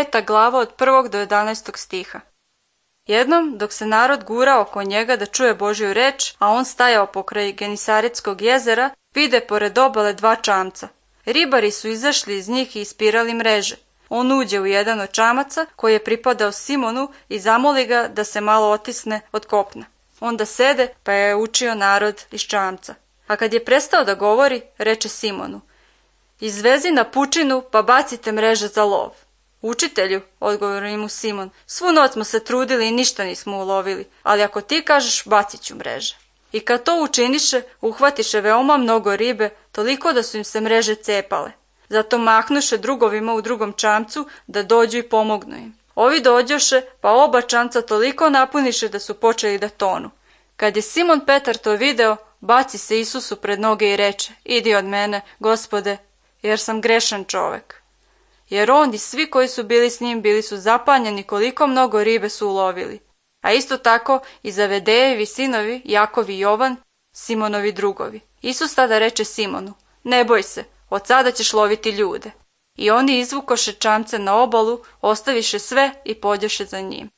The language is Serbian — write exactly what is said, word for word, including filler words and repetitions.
peta glava od prvog do jedanaestog stiha. Jednom, dok se narod gurao oko njega da čuje Božju reč, a on stajao pokraj Genisaretskog jezera, vide pored obale dva čamca. Ribari su izašli iz njih i ispirali mreže. On uđe u jedan od čamaca koji je pripadao Simonu i zamoli ga da se malo otisne od kopna. Onda sede pa je učio narod iz čamca. A kad je prestao da govori, reče Simonu: izvezi na pučinu pa bacite mreže za lov. Učitelju, odgovori mu Simon, svu noć smo se trudili i ništa nismo ulovili, ali ako ti kažeš, bacit ću mreže. I kad to učiniše, uhvatiše veoma mnogo ribe, toliko da su im se mreže cepale. Zato mahnuše drugovima u drugom čamcu da dođu i pomognu im. Ovi dođoše, pa oba čamca toliko napuniše da su počeli da tonu. Kad je Simon Petar to video, baci se Isusu pred noge i reče: idi od mene, Gospode, jer sam grešan čovek. Jer on i svi koji su bili s njim bili su zapanjeni koliko mnogo ribe su ulovili. A isto tako i Zavedejevi sinovi, Jakov i Jovan, Simonovi drugovi. Isus tada reče Simonu: ne boj se, od sada ćeš loviti ljude. I oni izvukoše čamce na obalu, ostaviše sve i pođoše za njim.